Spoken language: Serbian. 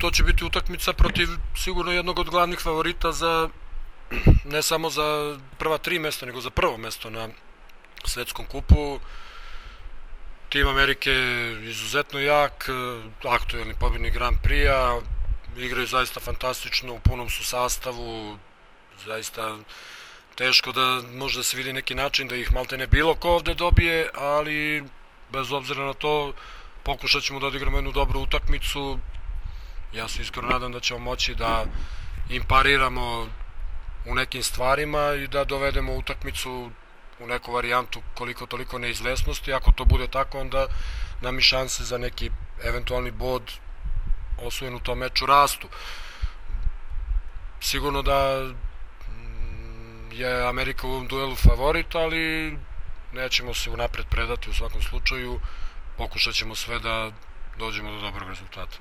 to će biti utakmica protiv sigurno jednog od glavnih favorita za ne samo za prva 3 mesta, nego za prvo mesto na svetskom kupu. Tim Amerike je izuzetno jak, aktuelni pobjednik Grand Prix-a, igraju zaista fantastično, u punom su sastavu, zaista teško da može da se vidi neki način da ih malte ne bilo ko ovde dobije, ali bez obzira na to pokušat ćemo da odigramo jednu dobru utakmicu. Ja se iskreno nadam da ćemo moći da im pariramo u nekim stvarima i da dovedemo utakmicu u neku varijantu koliko toliko neizvesnosti. Ako to bude tako, onda nam i šanse za neki eventualni bod osvojen u tom meču rastu. Sigurno da je Amerika u ovom duelu favorit, ali nećemo se unapred predati u svakom slučaju. Pokušat ćemo sve da dođemo do dobrog rezultata.